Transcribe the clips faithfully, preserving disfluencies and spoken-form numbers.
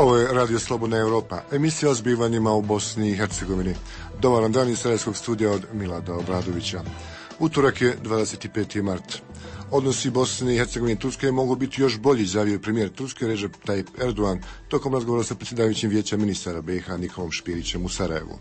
Ovo je Radio Slobodna Europa, emisija o zbivanjima u Bosni i Hercegovini. Dobar dan iz Sarajevskog studija od Milada Obradovića. Utorak je dvadeset peti mart. Odnosi Bosne i Hercegovine i Turske mogu biti još bolji, izjavio je premijer Turske Recep Tayyip Erdogan tokom razgovora sa predsjedavajućim vijeća ministara B iH Nikolom Špirićem u Sarajevu.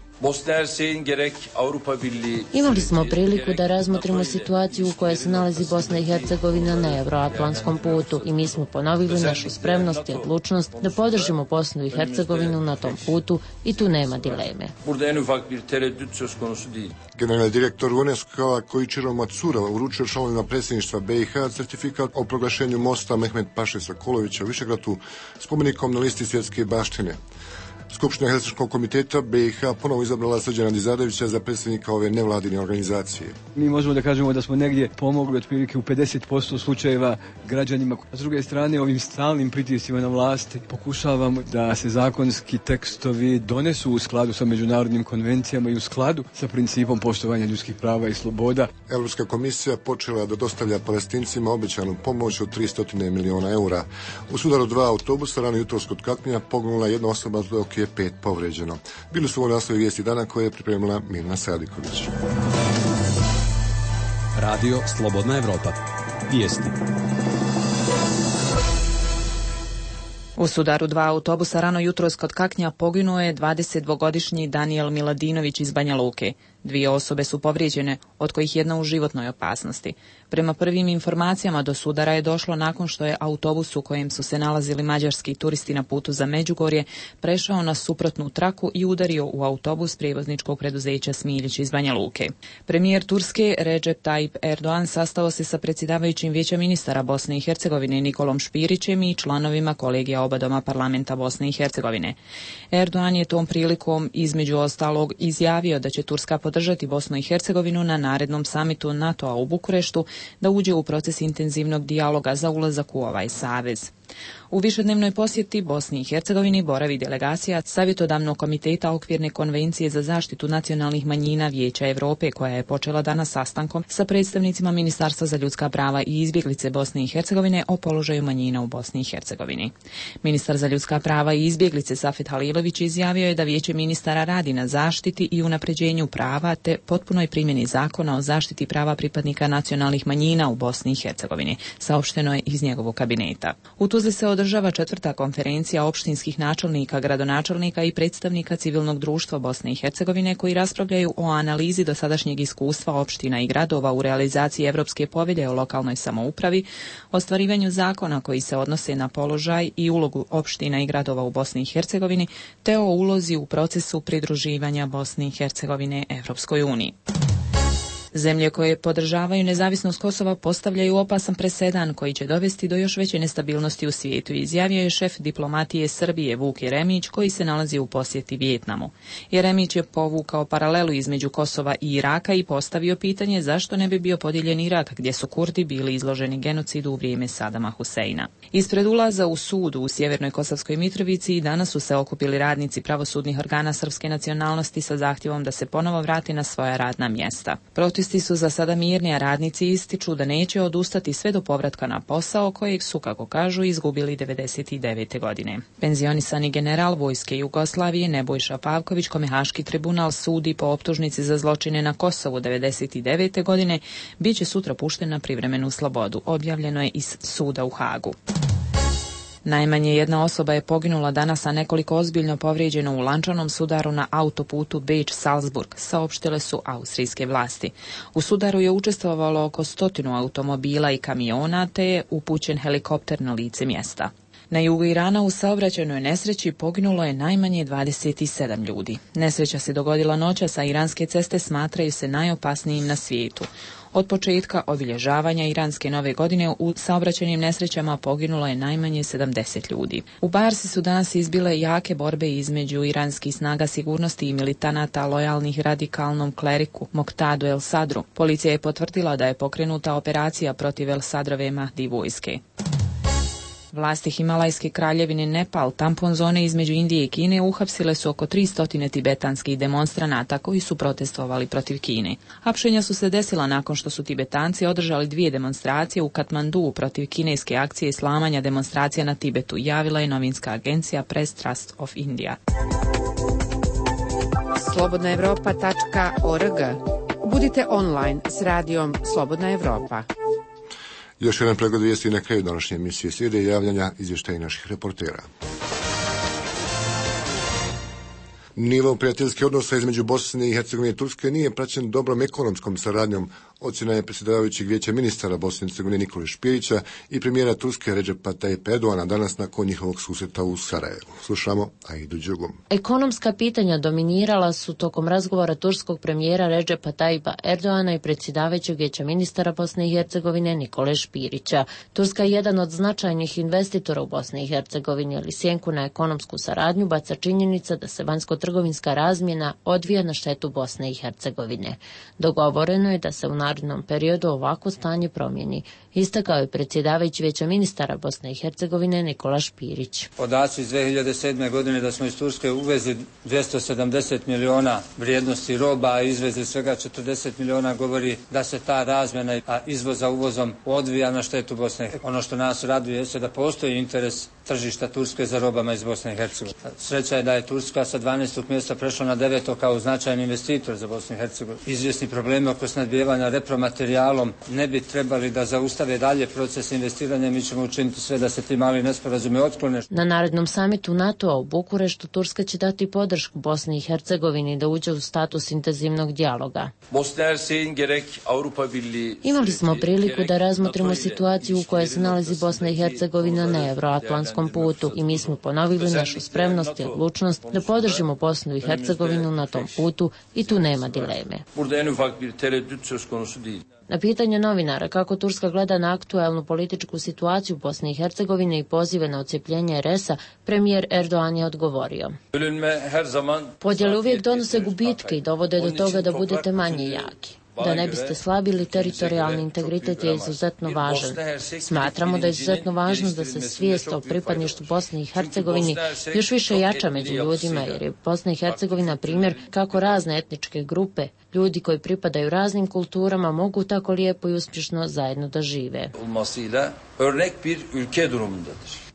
Imali smo priliku da razmotrimo situaciju u kojoj se nalazi Bosna i Hercegovina na euroatlantskom putu i mi smo ponovili našu spremnost i odlučnost da podržimo Bosnu i Hercegovinu na tom putu i tu nema dileme. Generalni direktor UNESCO-a Koichiro Matsura uručio članovima predsjedništva B iH certifikat o proglašenju mosta Mehmet Paše Sokolovića u Višegradu spomenikom na listi svjetske baštine. Skupština Helsinškog komiteta B iH ponovo izabrala Srđana Dizarevića za predsjednika ove nevladine organizacije. Mi možemo da kažemo da smo negdje pomogli otprilike u pedeset posto slučajeva građanima. A s druge strane, ovim stalnim pritiscima na vlasti pokušavamo da se zakonski tekstovi donesu u skladu sa međunarodnim konvencijama i u skladu sa principom poštovanja ljudskih prava i sloboda. Europska komisija počela da dostavlja Palestincima obećanu pomoć od tristo miliona eura. U sudaru dva autobusa rano jutros kod Katmija poginula jedna osoba, dok je pet povređeno. Bili su ovo naslovi vijesti dana koje je pripremila Mirna Sadiković. Radio Slobodna Evropa. Vijesti. U sudaru dva autobusa rano jutros kod Kaknja poginuo je dvadesetdvogodišnji Danijel Miladinović iz Banja Luke. Dvije osobe su povrijeđene, od kojih jedna u životnoj opasnosti. Prema prvim informacijama do sudara je došlo nakon što je autobus u kojem su se nalazili mađarski turisti na putu za Međugorje prešao na suprotnu traku i udario u autobus prijevozničkog preduzeća Smiljić iz Banja Luke. Premijer Turske Recep Tayyip Erdogan sastao se sa predsjedavajućim vijeća ministara Bosne i Hercegovine Nikolom Špirićem i članovima kolegija oba doma parlamenta Bosne i Hercegovine. Erdogan je tom prilikom između ostalog izjavio da će Turska podržati Bosnu i Hercegovinu na narednom samitu NATO-a u Bukureštu da uđe u proces intenzivnog dijaloga za ulazak u ovaj savez. U višednevnoj posjeti Bosni i Hercegovini boravi delegacija Savjetodavnog komiteta Okvirne konvencije za zaštitu nacionalnih manjina Vijeća Europe, koja je počela danas sastankom sa predstavnicima Ministarstva za ljudska prava i izbjeglice Bosne i Hercegovine o položaju manjina u Bosni i Hercegovini. Ministar za ljudska prava i izbjeglice Safet Halilović izjavio je da Vijeće ministara radi na zaštiti i unapređenju prava te potpunoj primjeni zakona o zaštiti prava pripadnika nacionalnih manjina u Bosni i Hercegovini, saopšteno je iz njegovog kabineta. U Tuzli se održava četvrta konferencija opštinskih načelnika, gradonačelnika i predstavnika civilnog društva Bosne i Hercegovine koji raspravljaju o analizi dosadašnjeg iskustva opština i gradova u realizaciji Evropske povelje o lokalnoj samoupravi, ostvarivanju zakona koji se odnose na položaj i ulogu opština i gradova u Bosni i Hercegovini, te o ulozi u procesu pridruživanja Bosne i Hercegovine Evropskoj uniji. Zemlje koje podržavaju nezavisnost Kosova postavljaju opasan presedan koji će dovesti do još veće nestabilnosti u svijetu, izjavio je šef diplomatije Srbije Vuk Jeremić koji se nalazi u posjeti Vijetnamu. Jeremić je povukao paralelu između Kosova i Iraka i postavio pitanje zašto ne bi bio podijeljen Irak gdje su Kurdi bili izloženi genocidu u vrijeme Sadama Huseina. Ispred ulaza u sud u Sjevernoj Kosovskoj Mitrovici i danas su se okupili radnici pravosudnih organa srpske nacionalnosti sa zahtjevom da se ponovo vrati na svoja radna mjesta. Protesti su za sada mirni, a radnici ističu da neće odustati sve do povratka na posao kojeg su, kako kažu, izgubili devedeset devete godine. Penzionisani general vojske Jugoslavije Nebojša Pavković, kome Haški tribunal sudi po optužnici za zločine na Kosovu devedeset devete godine, bit će sutra pušten na privremenu slobodu, objavljeno je iz suda u Hagu. Najmanje jedna osoba je poginula danas, a nekoliko ozbiljno povrijeđeno u lančanom sudaru na autoputu Beč-Salzburg, saopštile su austrijske vlasti. U sudaru je učestvovalo oko stotinu automobila i kamiona, te je upućen helikopter na lice mjesta. Na jugu Irana u saobraćajnoj nesreći poginulo je najmanje dvadeset sedam ljudi. Nesreća se dogodila noćas, a iranske ceste smatraju se najopasnijim na svijetu. Od početka obilježavanja iranske nove godine u saobraćajnim nesrećama poginulo je najmanje sedamdeset ljudi. U Barsi su danas izbile jake borbe između iranskih snaga sigurnosti i militanata lojalnih radikalnom kleriku Moktadu El Sadru. Policija je potvrdila da je pokrenuta operacija protiv El Sadrove Mahdi vojske. Vlasti Himalajske kraljevine Nepal, tampon zone između Indije i Kine, uhapsile su oko tristo tibetanskih demonstranata koji su protestovali protiv Kine. Hapšenja su se desila nakon što su Tibetanci održali dvije demonstracije u Katmandu protiv kineske akcije islamanja demonstracija na Tibetu, javila je novinska agencija Press Trust of India. slobodna evropa tačka org. Budite online s radijom Slobodna Evropa. Još jedan pregled vijesti na kraju današnje emisije. Slijede javljanja izvještaja naših reportera. Nivo prijateljskih odnosa između Bosne i Hercegovine i Turske nije praćen dobrom ekonomskom saradnjom, ocjena je predsjedavajućeg vijeća ministara Bosne i Hercegovine Nikole Špirića i premijera Turske Redžepa Tayyip Erdoğana danas nakon njihovog susreta u Sarajevu. Slušamo Aidu Đugum. Ekonomska pitanja dominirala su tokom razgovora turskog premijera Redžepa Tayyipa Erdoğana i predsjedavajućeg vijeća ministara Bosne i Hercegovine Nikole Špirića. Turska je jedan od značajnih investitora u Bosni i Hercegovini, ali sjenku na ekonomsku saradnju baca činjenica da se vanjsko-trgovinska razmjena odvija na štetu Bosne i Hercegovine. Dogovoreno je da se u narednom periodu ovako stanje promijeni, istakao je predsjedavajući vijeća ministara Bosne i Hercegovine Nikola Špirić. Podaci iz dvije hiljade sedme. godine da smo iz Turske uvezli dvjesto sedamdeset miliona vrijednosti roba, a izvezli svega četrdeset miliona, govori da se ta razmjena, a izvoza uvozom odvija na štetu Bosne. Ono što nas raduje jeste da postoji interes tržišta Turske za robama iz Bosne i Hercegovine. Sreća je da je Turska sa dvanaestog mjesta prešla na deveto kao značajan investitor za Bosnu i Hercegovinu. Izvjesni problemi oko snabdijevanja repromaterijalom ne bi trebali da zaustave dalje proces investiranja. Mi ćemo učiniti sve da se ti mali nesporazumi otklone. Na narednom samitu NATO-a u Bukureštu Turska će dati podršku Bosni i Hercegovini da uđe u status intenzivnog dijaloga. Imali smo priliku da razmotrimo situaciju u kojoj se nalazi Bosna i Hercegovina na euroatlantskom putu i mi smo ponovili našu spremnost i odlučnost da podržimo Bosnu i Hercegovinu na tom putu i tu nema dileme. Na pitanje novinara kako Turska gleda na aktuelnu političku situaciju Bosne i Hercegovine i pozive na odcepljenje er es a, premijer Erdoğan je odgovorio: podjele uvijek donose gubitke i dovode do toga da budete manje jaki. Da ne biste slabili, teritorijalni integritet je izuzetno važan. Smatramo da je izuzetno važno da se svijest o pripadništvu Bosne i Hercegovini još više jača među ljudima, jer je Bosna i Hercegovina primjer kako razne etničke grupe, ljudi koji pripadaju raznim kulturama, mogu tako lijepo i uspješno zajedno da žive.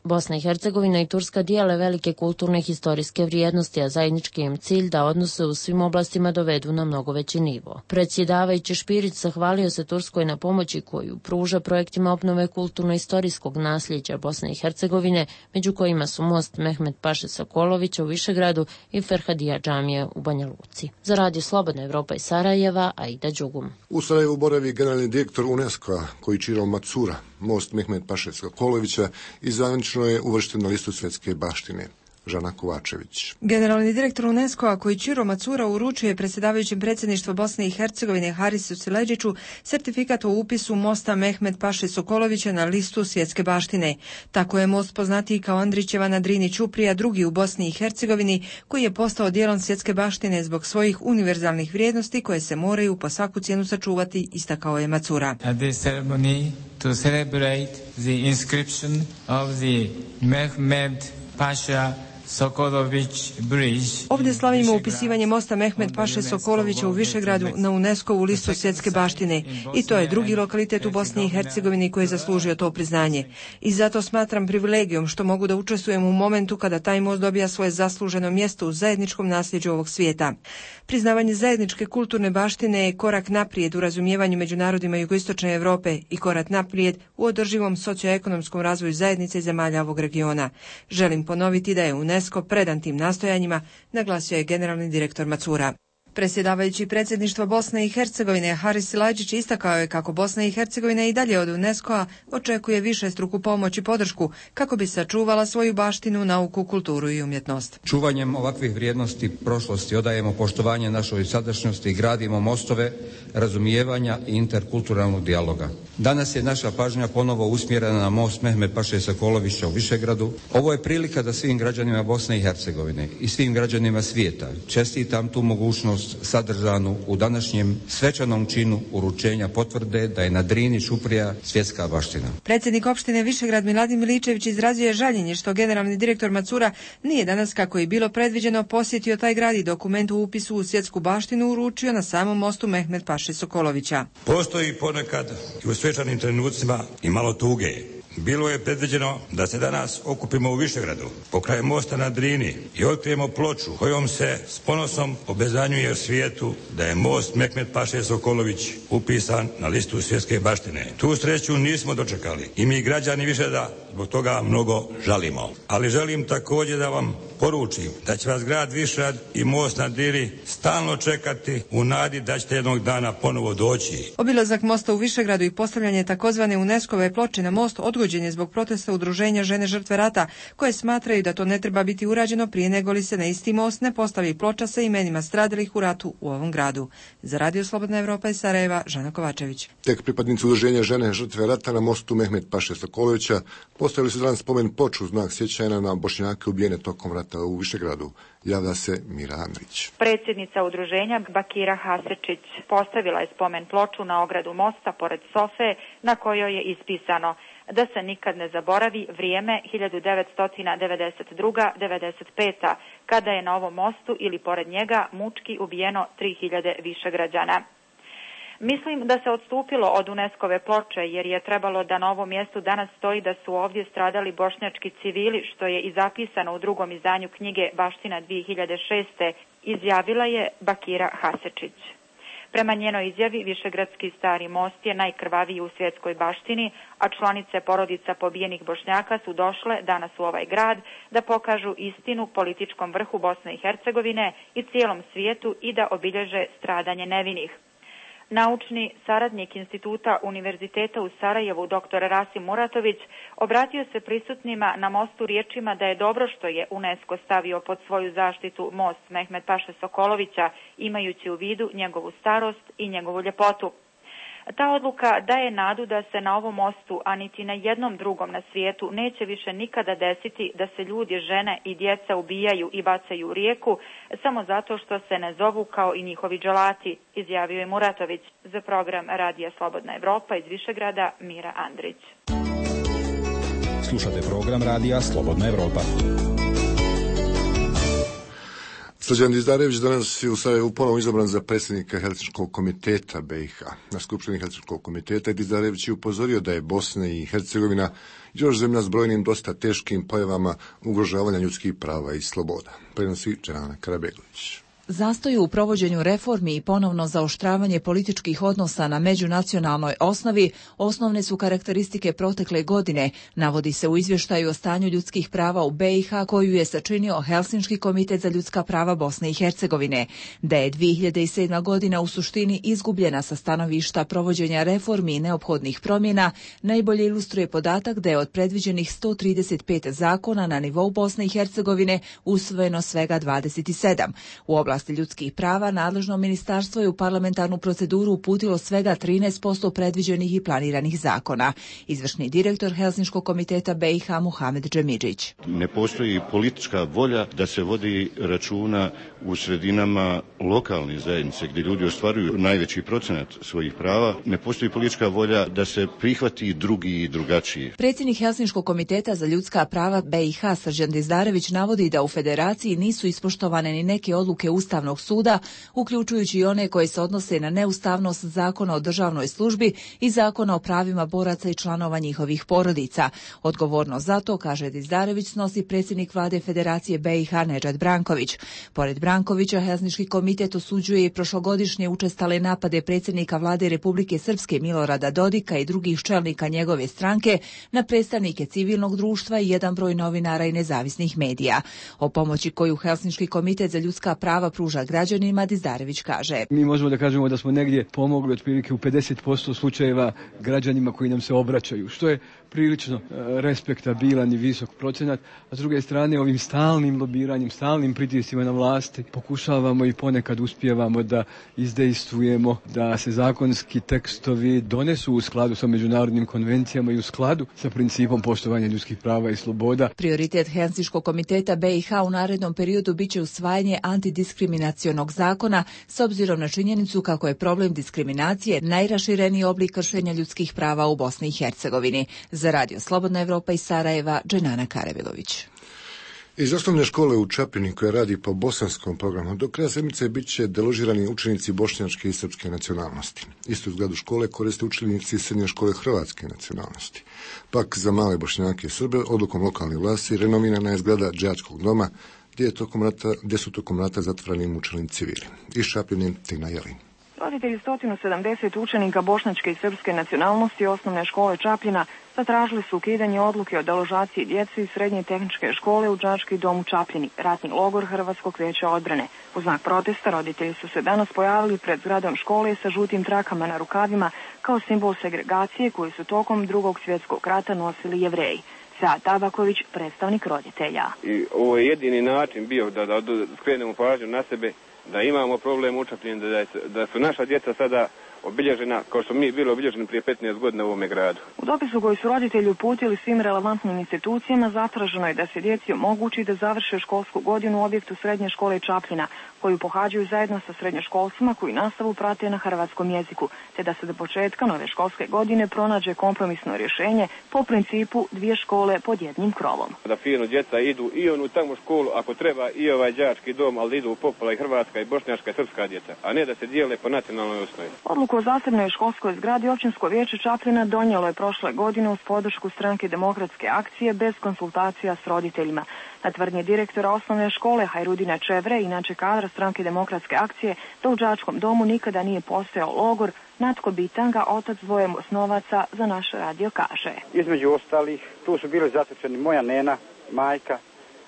Bosna i Hercegovina i Turska dijele velike kulturne i historijske vrijednosti, a zajednički im cilj da odnose u svim oblastima dovedu na mnogo veći nivo. Predsjedavajući Špirić zahvalio se Turskoj na pomoći koju pruža projektima obnove kulturno-istorijskog nasljeđa Bosne i Hercegovine, među kojima su most Mehmet Paše Sokolovića u Višegradu i Ferhadija džamije u Banja Luci. Za radio Slobodna Evropa iz Sarajeva, Aida Đugum. U Sarajevu boravi generalni direktor UNESCO-a Koichiro Matsura. Most Mehmet Paše Sokolovića i zvanično je uvršten na listu svjetske baštine. Žana Kovačević. Generalni direktor UNESCO-a Koichiro Matsura uručuje predsjedavajućem predsjedništva Bosne i Hercegovine Harisu Sileđiću sertifikat o upisu mosta Mehmet Paše Sokolovića na listu svjetske baštine. Tako je most poznatiji kao Andrićeva na Drini Ćuprija, drugi u Bosni i Hercegovini, koji je postao dijelom svjetske baštine zbog svojih univerzalnih vrijednosti koje se moraju po svaku cijenu sačuvati, istakao je Matsura. At this ceremony to celebrate the inscription of the Mehmet Paša Sokolović Bridge. Ovdje slavimo upisivanje mosta Mehmet Paše Sokolovića u Višegradu na UNESCO-vu listu svjetske baštine i to je drugi lokalitet u Bosni i Hercegovini koji je zaslužio to priznanje. I zato smatram privilegijom što mogu da učestvujem u momentu kada taj most dobija svoje zasluženo mjesto u zajedničkom nasljeđu ovog svijeta. Priznavanje zajedničke kulturne baštine je korak naprijed u razumijevanju među narodima jugoistočne Europe i korak naprijed u održivom socioekonomskom razvoju zajednice i zemalja ovog regiona. Želim ponoviti da je UNESCO predan tim nastojanjima, naglasio je generalni direktor Matsura. Predsjedavajući predsjedništva Bosne i Hercegovine Haris Silajdžić istakao je kako Bosna i Hercegovina i dalje od UNESCO-a očekuje višestruku pomoć i podršku kako bi sačuvala svoju baštinu, nauku, kulturu i umjetnost. Čuvanjem ovakvih vrijednosti prošlosti odajemo poštovanje našoj sadašnjosti i gradimo mostove razumijevanja i interkulturalnog dijaloga. Danas je naša pažnja ponovo usmjerena na most Mehmet Paše Sokolovića u Višegradu. Ovo je prilika da svim građanima Bosne i Hercegovine i svim građanima svijeta čestitam tu mogućnost važnost sadržanu u današnjem svečanom činu uručenja potvrde da je na Drini Ćuprija svjetska baština. Predsjednik opštine Višegrad Miladin Miličević izrazio je žaljenje što generalni direktor Macura nije danas, kako je bilo predviđeno, posjetio taj grad i dokument u upisu u svjetsku baštinu uručio na samom mostu Mehmed Paše Sokolovića. Postoji ponekad i u svečanim trenucima i malo tuge. Bilo je predviđeno da se danas okupimo u Višegradu, pokraj mosta na Drini i otkrijemo ploču kojom se s ponosom obezanjuje u svijetu da je most Mehmed Paše Sokolović upisan na listu svjetske baštine. Tu sreću nismo dočekali i mi građani Višegrada zbog toga mnogo žalimo. Ali želim također da vam poručim da će vas grad Višegrad i most na Drini stalno čekati u nadi da ćete jednog dana ponovo doći. Obilazak mosta u Višegradu i postavljanje takozvane UNESCO-ve ploče na most odgođen je zbog protesta udruženja Žene žrtve rata, koje smatraju da to ne treba biti urađeno prije nego li se na isti most ne postavi ploča sa imenima stradalih u ratu u ovom gradu. Za Radio Slobodna Evropa iz Sarajeva, Žana Kovačević. Tek pripadnici udruženja Žene žrtve rata na mostu Mehmed Paše Sokolovića postavili su danas spomen ploču u znak sjećanja na Bošnjake ubijene tokom rata u Višegradu. Javlja se Mira Andrić. Predsjednica udruženja Bakira Hasečić postavila je spomen ploču na ogradu mosta pored sofe na kojoj je ispisano da se nikad ne zaboravi vrijeme hiljadu devetsto devedeset druga do devedeset peta kada je na ovom mostu ili pored njega mučki ubijeno tri hiljade Višegrađana. Mislim da se odstupilo od UNESCO-ve ploče jer je trebalo da na ovom mjestu danas stoji da su ovdje stradali bošnjački civili, što je i zapisano u drugom izdanju knjige Baština dvije hiljade šeste, izjavila je Bakira Hasečić. Prema njenoj izjavi, Višegradski stari most je najkrvaviji u svjetskoj baštini, a članice porodica pobijenih Bošnjaka su došle danas u ovaj grad da pokažu istinu političkom vrhu Bosne i Hercegovine i cijelom svijetu i da obilježe stradanje nevinih. Naučni saradnik Instituta Univerziteta u Sarajevu, dr Rasim Muratović, obratio se prisutnima na mostu riječima da je dobro što je UNESCO stavio pod svoju zaštitu most Mehmed Paše Sokolovića, imajući u vidu njegovu starost i njegovu ljepotu. Ta odluka daje nadu da se na ovom mostu, a niti na jednom drugom na svijetu, neće više nikada desiti da se ljudi, žene i djeca ubijaju i bacaju u rijeku samo zato što se ne zovu kao i njihovi dželati, izjavio je Muratović. Za program Radija Slobodna Evropa iz Višegrada, Mira Andrić. Slušate program Radija Slobodna Evropa. Srđan Dizdarević danas je u Sarajevu ponovo izabran za predsjednika Helsinškog komiteta B i H. Na skupštini Helsinškog komiteta Dizdarević je upozorio da je Bosna i Hercegovina još zemlja s brojnim dosta teškim pojavama ugrožavanja ljudskih prava i sloboda. Prenosi Džerana Karabegović. Zastoj u provođenju reformi i ponovno zaoštravanje političkih odnosa na međunacionalnoj osnovi osnovne su karakteristike protekle godine, navodi se u izvještaju o stanju ljudskih prava u B i H koju je sačinio Helsinški komitet za ljudska prava Bosne i Hercegovine. Da je dvije hiljade sedma. godina u suštini izgubljena sa stanovišta provođenja reformi i neophodnih promjena, najbolje ilustruje podatak da je od predviđenih sto trideset pet zakona na nivou Bosne i Hercegovine usvojeno svega dvadeset sedam. U oblasti ljudskih prava nadležno ministarstvo je u parlamentarnu proceduru uputilo svega trinaest posto predviđenih i planiranih zakona. Izvršni direktor Helsinškog komiteta B i H Muhamed Džemidžić. Ne postoji politička volja da se vodi računa u sredinama lokalne zajednice gdje ljudi ostvaruju najveći procenat svojih prava. Ne postoji politička volja da se prihvati drugi i drugačiji. Predsjednik Helsinškog komiteta za ljudska prava B i H Srđan Dizdarević navodi da u federaciji nisu ispoštovane ni neke odluke Ustavnog suda, uključujući i one koje se odnose na neustavnost Zakona o državnoj službi i Zakona o pravima boraca i članova njihovih porodica. Odgovornost za to, kaže Dizdarević, snosi predsjednik vlade Federacije B i H Nedžad Branković. Pored Brankovića, Helsinški komitet osuđuje i prošlogodišnje učestale napade predsjednika vlade Republike Srpske Milorada Dodika i drugih čelnika njegove stranke na predstavnike civilnog društva i jedan broj novinara i nezavisnih medija. O pomoći koju Helsinški komitet za ljudska prava pruža građanima, Dizdarević kaže. Mi možemo da kažemo da smo negdje pomogli otprilike u pedeset posto slučajeva građanima koji nam se obraćaju, što je prilično respektabilan i visok procenat, a s druge strane ovim stalnim lobiranjem, stalnim pritiscima na vlasti pokušavamo i ponekad uspijevamo da izdejstvujemo da se zakonski tekstovi donesu u skladu sa međunarodnim konvencijama i u skladu sa principom poštovanja ljudskih prava i sloboda. Prioritet Helsinškog komiteta B i H u narednom periodu biće usvajanje antidiskriminacije antidiskriminacionog zakona s obzirom na činjenicu kako je problem diskriminacije najrašireniji oblik kršenja ljudskih prava u Bosni i Hercegovini. Za Radio Slobodna Evropa iz Sarajeva, Dženana Karevilović. Iz osnovne škole u Čapljini, koja radi po bosanskom programu, do kraja sedmice bit će deložirani učenici bošnjačke i srpske nacionalnosti. Istu zgradu škole koriste učenici srednje škole hrvatske nacionalnosti. Pak za male Bošnjake i Srbe, odlukom lokalne vlasti, renomirana je zgrada đačkog doma, gdje, je tokom rata, gdje su tokom rata zatvoreni mučeni civili. Iz Čapljine, Tina Jelin. Roditelji sto sedamdeset učenika bošnjačke i srpske nacionalnosti osnovne škole Čapljina zatražili su ukidanje odluke o deložaciji djece iz srednje tehničke škole u đački dom u Čapljini, ratni logor Hrvatskog vijeća odbrane. U znak protesta roditelji su se danas pojavili pred zgradom škole sa žutim trakama na rukavima kao simbol segregacije koju su tokom Drugog svjetskog rata nosili Jevreji. Sead Tabaković, predstavnik roditelja. I ovo je jedini način bio da, da, da skrenemo pažnju na sebe, da imamo problem u Čapljini, da, da su naša djeca sada obilježena kao što mi bili obilježeni prije petnaest godina u ovome gradu. U dopisu koji su roditelji uputili svim relevantnim institucijama zatraženo je da se djeci omogući da završe školsku godinu u objektu srednje škole Čapljina, koju pohađaju zajedno sa srednjoškolcima koji nastavu prate na hrvatskom jeziku, te da se do početka nove školske godine pronađe kompromisno rješenje po principu dvije škole pod jednim krovom. Da fino djeca idu i onu tamo školu, ako treba i ovaj đački dom, ali idu u popola i hrvatska i bošnjačka i srpska djeca, a ne da se dijele po nacionalnoj osnovi. Odluku o zasebnoj školskoj zgradi Općinsko vijeće Čapljina donijelo je prošle godine uz podršku stranke Demokratske akcije bez konsultacija s roditeljima. Na tvrdnje direktora osnovne škole Hajrudina Čevre, inače kadra stranke Demokratske akcije, da u đačkom domu nikada nije postojao logor, Natko Bitanga, otac dvoje osnovaca, za naš radio kaže. Između ostalih, tu su bili zatočeni moja nena, majka,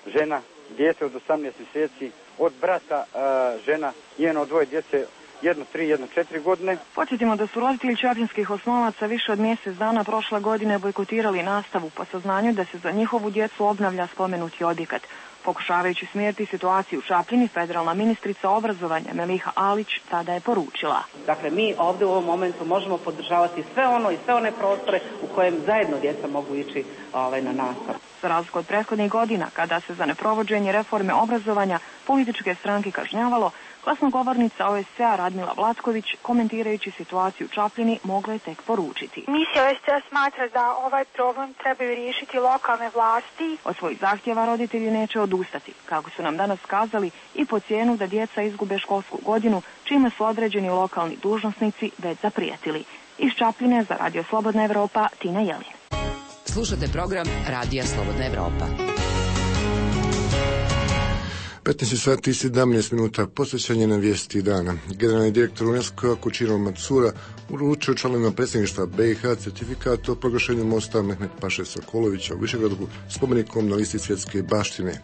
žena, djece od osamnaest mjeseci, od brata uh, žena, njeno dvoje djece, jedno tri, jedno četiri godine. Podsjetimo da su roditelji čapljinskih osnovaca više od mjesec dana prošle godine bojkotirali nastavu po saznanju da se za njihovu djecu obnavlja spomenuti objekat. Pokušavajući smjeriti situaciju u Čapljini, federalna ministrica obrazovanja Meliha Alić tada je poručila. Dakle, mi ovdje u ovom momentu možemo podržavati sve ono i sve one prostore u kojem zajedno djeca mogu ići ovaj, na nastavu. Za razliku od prethodnih godina, kada se za neprovođenje reforme obrazovanja političke stranke kažnjavalo, glasnogovornica O S C-a Radmila Vlatković, komentirajući situaciju u Čapljini, mogla je tek poručiti. Misija O S C-a smatra da ovaj problem trebaju riješiti lokalne vlasti. Od svojih zahtjeva roditelji neće odustati, kako su nam danas kazali, i po cijenu da djeca izgube školsku godinu, čime su određeni lokalni dužnosnici već zaprijetili. Iz Čapljine za Radio Slobodna Evropa, Tina Jelin. Slušate program Radija Slobodna Evropa. petnaest sati i sedamnaest minuta, posvećanje na vijesti dana. Generalni direktor UNESCO-a Kučiro Macura uručio članovima predsjedništva B i H certifikat o proglašenju mosta Mehmet Paše Sokolovića u Višegradu spomenikom na listi svjetske baštine.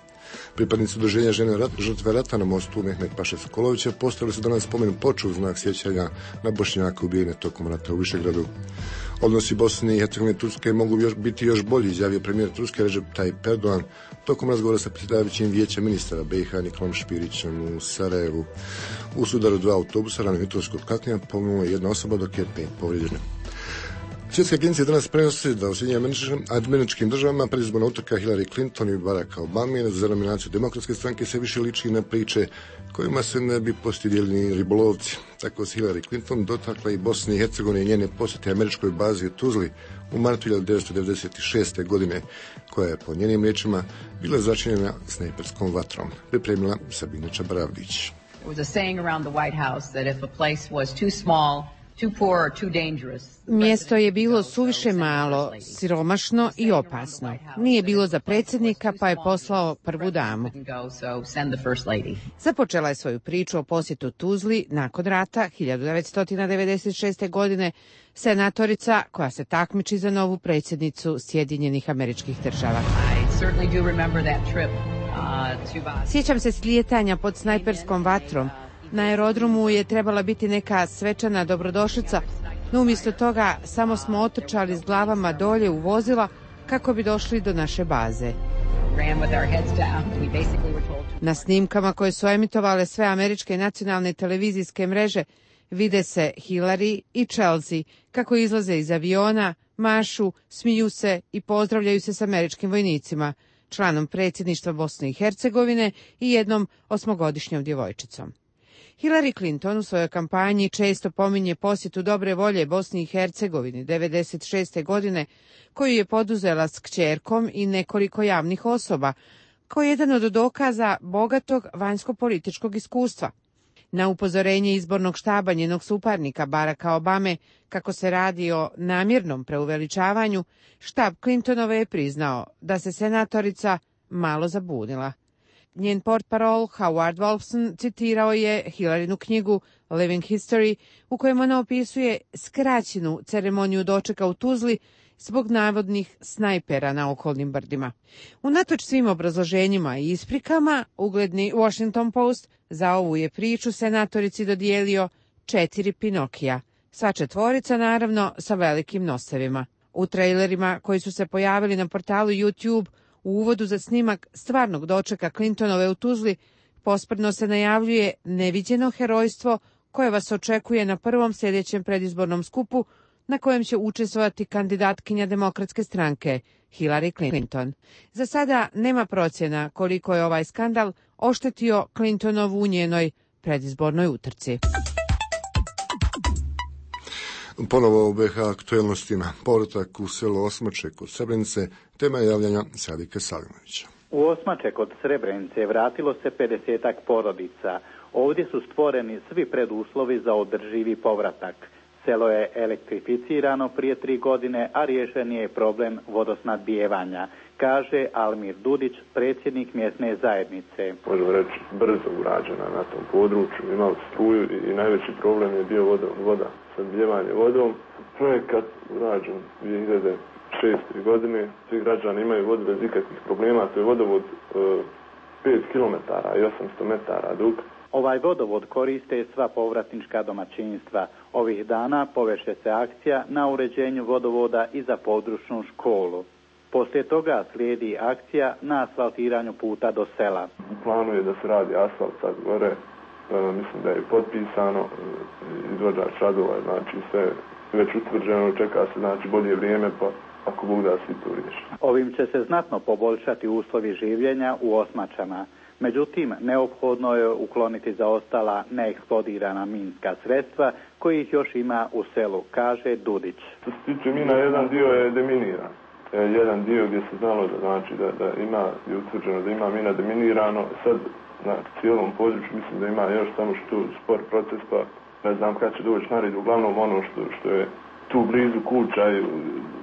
Pripadnici udruženja žene rat, žrtve rata na mostu Mehmet Paše Sokolovića postavili su danas spomen ploču u znak sjećanja na Bošnjake ubijene tokom rata u Višegradu. Odnosi Bosne i Hercegovine i Turske mogu još biti još bolji, izjavio premijer Turske Recep Tayyip Erdogan tokom razgovora sa predsjedavajućim vijeća ministara B i H Nikolom Špirićem u Sarajevu. U sudaru dva autobusa rano jutros kod Kaknja poginula je jedna osoba, dok je pet povrijeđeno. Svjetske agencije danas prenose da u Sjedinjenim Američkim Državama predizborna utrka Hillary Clinton i Baracka Obame za nominaciju Demokratske stranke se više liči na priče kojima se ne bi postidjeli ribolovci. Tako se Hillary Clinton dotakla i Bosne i Hercegovine i njene posjete američkoj bazi u Tuzli u martu hiljadu devetsto devedeset šeste. godine, koja je po njenim riječima bila začinjena snajperskom vatrom. Pripremila Sabina Čabravdić. There was a saying around the White House that if a place was too small, too poor or too dangerous. Mjesto je bilo suviše malo, siromašno i opasno. Nije bilo za predsjednika, pa je poslao prvu damu. Započela je svoju priču o posjetu Tuzli nakon rata hiljadu devetsto devedeset šeste. godine senatorica koja se takmiči za novu predsjednicu Sjedinjenih Američkih Država. Sjećam se slijetanja pod snajperskom vatrom. Na aerodromu je trebala biti neka svečana dobrodošlica, no umjesto toga samo smo otrčali s glavama dolje u vozila kako bi došli do naše baze. Na snimkama koje su emitovale sve američke nacionalne televizijske mreže vide se Hillary i Chelsea kako izlaze iz aviona, mašu, smiju se i pozdravljaju se s američkim vojnicima. članom predsjedništva Bosne i Hercegovine i jednom osmogodišnjom djevojčicom. Hillary Clinton u svojoj kampanji često pominje posjetu dobre volje Bosni i Hercegovini devedeset šeste. godine, koju je poduzela s kćerkom i nekoliko javnih osoba, kao jedan od dokaza bogatog vanjsko-političkog iskustva. Na upozorenje izbornog štaba njenog suparnika Baracka Obame kako se radi o namjernom preuveličavanju, štab Clintonove je priznao da se senatorica malo zabunila. Njen portparol Howard Wolfson citirao je Hillarinu knjigu Living History, u kojem ona opisuje skraćenu ceremoniju dočeka u Tuzli zbog navodnih snajpera na okolnim brdima. Unatoč svim obrazloženjima i isprikama, ugledni Washington Post za ovu je priču senatorici dodijelio četiri Pinokija, sva četvorica naravno sa velikim nosevima. U trailerima koji su se pojavili na portalu YouTube u uvodu za snimak stvarnog dočeka Clintonove u Tuzli posprdno se najavljuje neviđeno herojstvo koje vas očekuje na prvom sljedećem predizbornom skupu na kojem će učestvovati kandidatkinja Demokratske stranke Hillary Clinton. Za sada nema procjena koliko je ovaj skandal oštetio Clintonovu u njenoj predizbornoj utrci. Ponovo u B H aktuelnostima, povratak u selo Osmače kod Srebrenice, tema je javljanja Sadike Salimovića. U Osmače kod Srebrenice vratilo se pedesetak porodica. Ovdje su stvoreni svi preduslovi za održivi povratak. Selo je elektrificirano prije tri godine, a riješen je problem vodosnadbijevanja, kaže Almir Dudić, predsjednik mjesne zajednice. Možemo reći brzo urađena na tom području, imali struju i najveći problem je bio voda, voda snadbijevanje vodom. Projekat urađen dvije hiljade šeste. godine, svi građani imaju vodu bez ikakvih problema, to je vodovod e, pet kilometara i osamsto metara dug. Ovaj vodovod koriste sva povratnička domaćinstva. Ovih dana poveše se akcija na uređenju vodovoda i za područnu školu. Poslije toga slijedi akcija na asfaltiranju puta do sela. U planu je da se radi asfalt sad gore, e, mislim da je potpisano, izvođač radova, znači sve već utvrđeno, čeka se znači bolje vrijeme, pa ako Bog da svi to riješi. Ovim će se znatno poboljšati uslovi življenja u Osmačama. Međutim, neophodno je ukloniti zaostala neeksplodirana minska sredstva kojih još ima u selu, kaže Dudić. Što se tiče mina, jedan dio je deminiran. Jedan dio gdje se znalo da, znači, da, da ima, je utvrđeno da ima mina deminirano. Sad na cijelom području mislim da ima još samo što spor proces, pa ne znam kad će doći na red. Uglavnom ono što, što je tu blizu kuća i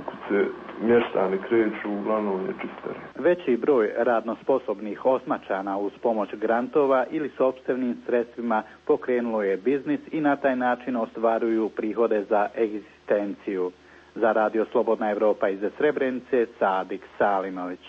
kad se mještani kreću, uglavnom je čistare. Veći broj radno sposobnih Osmačana uz pomoć grantova ili sopstvenim sredstvima pokrenulo je biznis i na taj način ostvaruju prihode za egzistenciju. Za Radio Slobodna Evropa iz Srebrenice, Sadik Salimović.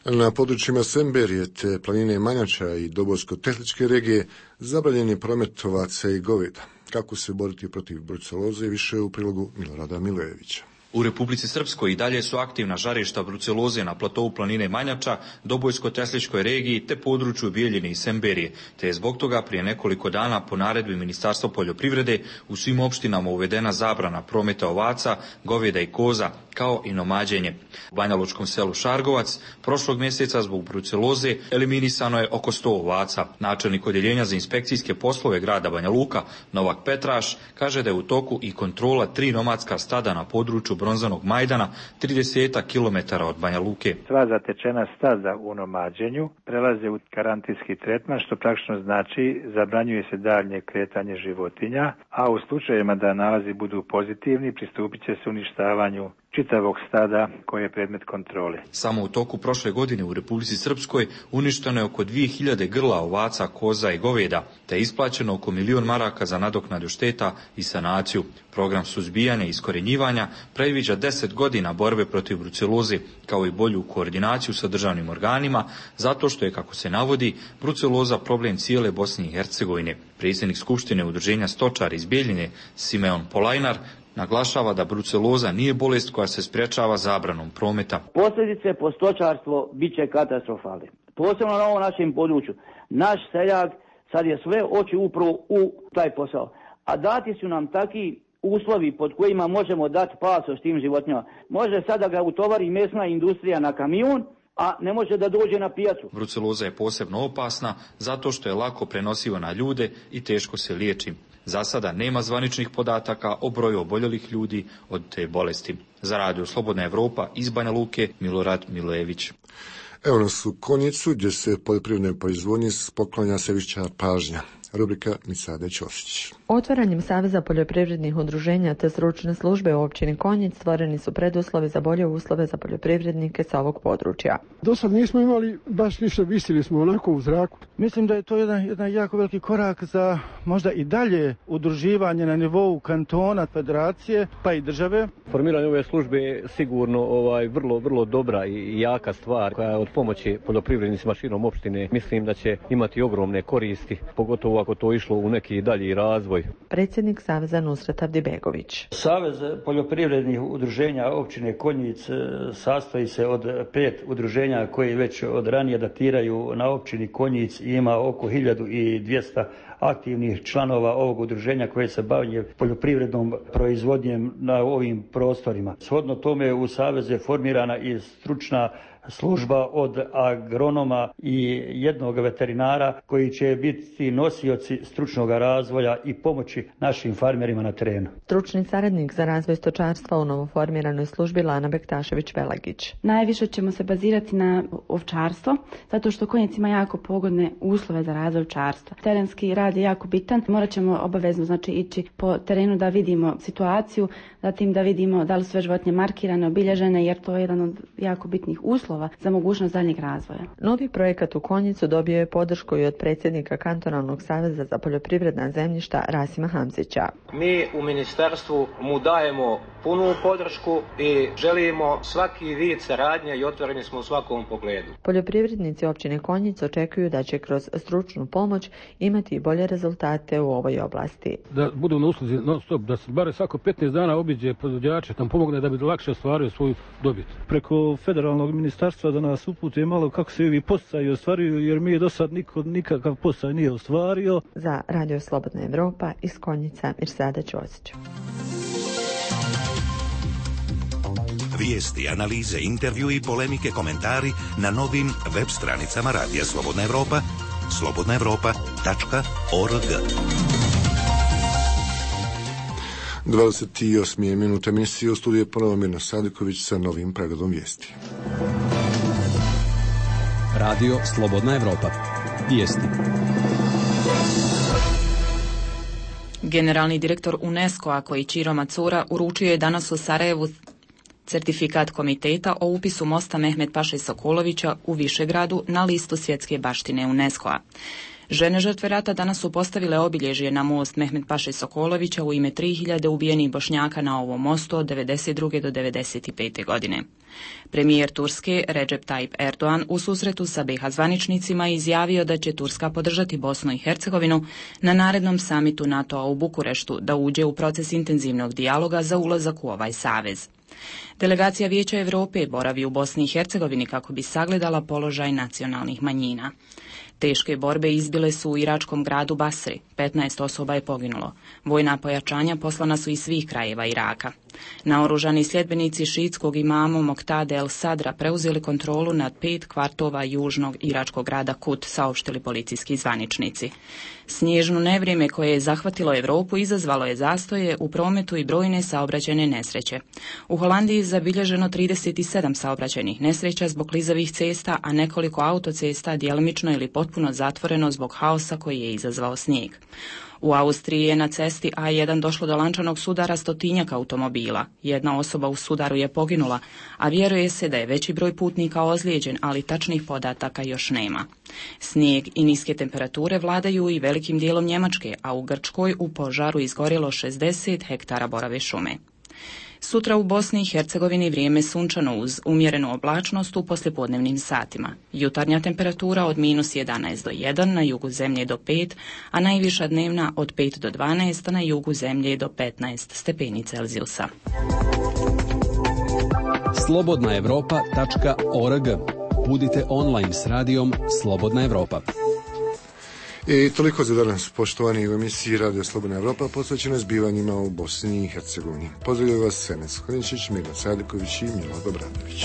Na područjima Semberije te planine Manjača i Dobojsko-Tehničke regije zabranjen je promet ovaca i goveda. Kako se boriti protiv bruceloze više u prilogu Milorada Milojevića. U Republici Srpskoj i dalje su aktivna žarišta bruceloze na platovu planine Manjača, Dobojsko-Tesličkoj regiji te području Bijeljine i Semberije, te je zbog toga prije nekoliko dana po naredbi Ministarstva poljoprivrede u svim opštinama uvedena zabrana prometa ovaca, goveda i koza, kao i nomađenje. U banjalučkom selu Šargovac prošlog mjeseca zbog bruceloze eliminisano je oko sto ovaca. Načelnik odjeljenja za inspekcijske poslove grada Banja Luka, Novak Petraš, kaže da je u toku i kontrola tri nomadska stada na području Bronzanog Majdana, trideset kilometara od Banja Luke. Sva zatečena stada u nomađenju prelaze u karantinski tretman, što praktično znači zabranjuje se daljnje kretanje životinja, a u slučajevima da nalazi budu pozitivni pristupit će se uništavanju čitavog stada koje je predmet kontrole. Samo u toku prošle godine u Republici Srpskoj uništeno je oko dvije hiljade grla ovaca, koza i goveda, te je isplaćeno oko milion maraka za nadoknadu šteta i sanaciju. Program suzbijanja i iskorjenjivanja predviđa deset godina borbe protiv bruceloze, kao i bolju koordinaciju sa državnim organima, zato što je, kako se navodi, bruceloza problem cijele Bosne i Hercegovine. Predsjednik Skupštine udruženja stočara iz Bijeljine, Simeon Polajnar, naglašava da bruceloza nije bolest koja se sprječava zabranom prometa. Posljedice po stočarstvo bit će katastrofalne. Posebno na ovom našem području. Naš seljak sad je sve oči upravo u taj posao. A dati su nam taki uslovi pod kojima možemo dati pasoš tim životinjama. Može sada ga utovari mesna industrija na kamion, a ne može da dođe na pijacu. Bruceloza je posebno opasna zato što je lako prenosiva na ljude i teško se liječi. Za sada nema zvaničnih podataka o broju oboljelih ljudi od te bolesti. Za Radio Slobodna Evropa iz Banja Luke, Milorad Milojević. Evo nas u Konjicu, gdje se poljoprivrednoj proizvodnji poklanja sve više pažnja. Rubrika Misade Ćosić. Otvaranjem Saveza poljoprivrednih udruženja te stručne službe u općini Konjic stvoreni su preduslovi za bolje uslove za poljoprivrednike sa ovog područja. Do sad nismo imali baš ništa, visili smo onako u zraku. Mislim da je to jedan, jedan jako veliki korak za možda i dalje udruživanje na nivou kantona, federacije pa i države. Formiranje ove službe je sigurno ovaj, vrlo, vrlo dobra i jaka stvar koja je od pomoći poljoprivrednicima širom opštine. Mislim da će imati ogromne koristi, pogotovo ako to išlo u neki dalji razvoj. Predsjednik Saveza Nusret Avdibegović. Savez poljoprivrednih udruženja općine Konjic sastoji se od pet udruženja koji već od ranije datiraju na općini Konjic i ima oko hiljadu dvjesto aktivnih članova ovog udruženja koje se bavi poljoprivrednom proizvodnjem na ovim prostorima. Shodno tome u Savezu je formirana i stručna služba od agronoma i jednog veterinara koji će biti nosioci stručnog razvoja i pomoći našim farmerima na terenu. Stručni saradnik za razvoj stočarstva u novoformiranoj službi Lana Bektašević-Velagić. Najviše ćemo se bazirati na ovčarstvo, zato što Konjic ima jako pogodne uslove za razvoj ovčarstva. Terenski rad je jako bitan. Morat ćemo obavezno znači ići po terenu da vidimo situaciju, zatim da vidimo da li su sve životinje markirane, obilježene, jer to je jedan od jako bitnih uslova za mogućnost daljnjeg razvoja. Novi projekat u Konjicu dobio je podršku i od predsjednika Kantonalnog saveza za poljoprivredna zemljišta Rasima Hamzića. Mi u ministarstvu mu dajemo punu podršku i želimo svaki vid saradnje i otvoreni smo u svakom pogledu. Poljoprivrednici općine Konjic očekuju da će kroz stručnu pomoć imati bolje rezultate u ovoj oblasti. Da budu na usluzi non stop, da se bare svako petnaest dana obiđe proizvođače, tam pomogne da bi lakše ostvario svoju dobit. Preko federalnog ministarstva da nas upute malo kako se ovi podsticaji ostvaruju, jer mi je do sad niko nikakav podsticaj nije ostvario. Za Radio Slobodna Evropa iz Konjica Mirsada Ćosić. Vijesti, analize, intervju i polemike, komentari na novim web stranicama Radija Slobodna Evropa, slobodna evropa tačka org. dvadeset osma minuta emisije, u studiju je ponovo Mirna Sadiković sa novim pregledom vijesti. Radio Slobodna Evropa. Vijesti. Generalni direktor UNESCO-a Koichiro Matsura uručio je danas u Sarajevu certifikat komiteta o upisu mosta Mehmet Paše Sokolovića u Višegradu na listu svjetske baštine UNESCO-a. Žene žrtve rata danas su postavile obilježje na most Mehmet Paše Sokolovića u ime tri hiljade ubijenih Bošnjaka na ovom mostu od devedeset druge do devedeset pete godine. Premijer Turske Recep Tayyip Erdogan u susretu sa be ha zvaničnicima izjavio da će Turska podržati Bosnu i Hercegovinu na narednom samitu NATO-a u Bukureštu da uđe u proces intenzivnog dijaloga za ulazak u ovaj savez. Delegacija Vijeća Europe boravi u Bosni i Hercegovini kako bi sagledala položaj nacionalnih manjina. Teške borbe izbile su u iračkom gradu Basri, petnaest osoba je poginulo. Vojna pojačanja poslana su iz svih krajeva Iraka. Naoružani sljedbenici šiitskog imama Moktade El Sadra preuzeli kontrolu nad pet kvartova južnog iračkog grada Kut, saopštili policijski zvaničnici. Snježno nevrijeme koje je zahvatilo Europu izazvalo je zastoje u prometu i brojne saobraćajne nesreće. U Holandiji je zabilježeno trideset sedam saobraćajnih nesreća zbog klizavih cesta, a nekoliko autocesta djelomično ili potpuno zatvoreno zbog haosa koji je izazvao snijeg. U Austriji je na cesti A jedan došlo do lančanog sudara stotinjaka automobila. Jedna osoba u sudaru je poginula, a vjeruje se da je veći broj putnika ozlijeđen, ali tačnih podataka još nema. Snijeg i niske temperature vladaju i velikim dijelom Njemačke, a u Grčkoj u požaru izgorjelo šezdeset hektara borave šume. Sutra u Bosni i Hercegovini vrijeme sunčano uz umjerenu oblačnost u poslijepodnevnim satima. Jutarnja temperatura od minus jedanaest do jedan, na jugu zemlje do pet, a najviša dnevna od pet do dvanaest, a na jugu zemlje do petnaest stepeni Celzijusa. slobodna evropa tačka org. Budite online s radijom Slobodna Evropa. I toliko za danas, poštovani, u emisiji Radio Slobodna Evropa posvećena zbivanjima u Bosni i Hercegovini. Pozdravljaju vas Senes Hodinčić, Mirna Sadiković i Milado Bradović.